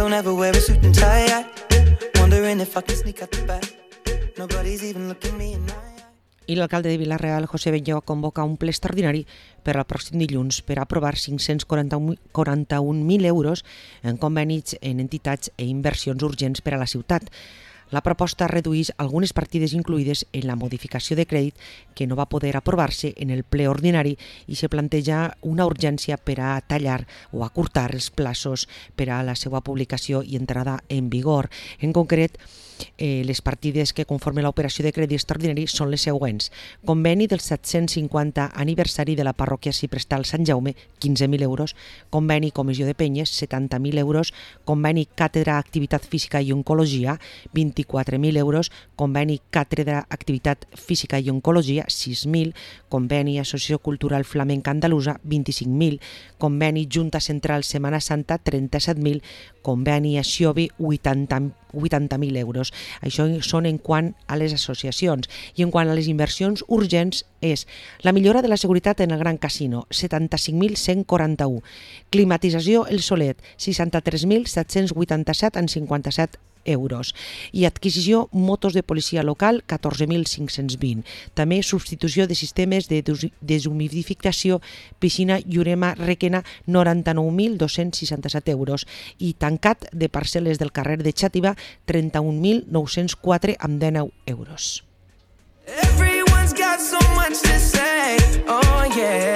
don't ever wear a suit and tie. Wondering if I can sneak out the back. Nobody's even looking me in the eye. I l'alcalde de Vila-real, José Belló, convoca un ple extraordinari per al pròxim dilluns per aprovar 541.000 euros en convenis en entitats i inversions urgents per a la ciutat. La proposta redueix algunes partides incluïdes en la modificació de crèdit que no va poder aprovar-se en el ple ordinari i se planteja una urgència per a tallar o acurtar els plaços per a la seva publicació i entrada en vigor. En concret, les partides que conformen l'operació de crèdit extraordinari són les següents. Conveni del 750 aniversari de la parròquia Ciprestal Sant Jaume, 15.000 euros. Conveni Comissió de Penyes, 70.000 euros. Conveni Càtedra Activitat Física i Oncologia, 24.000 euros. Conveni Càtedra Activitat Física i Oncologia, 6.000. Conveni Associació Cultural Flamenca Andalusa, 25.000. Conveni Junta Central Setmana Santa, 37.000. Conveni Aixiobi, 80.000 euros. Això són en quant a les associacions. I en quant a les inversions urgents és la millora de la seguretat en el Gran Casino, 75.141. Climatització El Solet, 63.787,57 euros. I adquisició motos de policia local, 14.520. També substitució de sistemes de deshumidificació piscina Llurema Requena, 99.267 euros. I tancat de parcel·les del carrer de Xàtiva, 31.904 amb 19 euros. Everyone's got so much to say, oh yeah.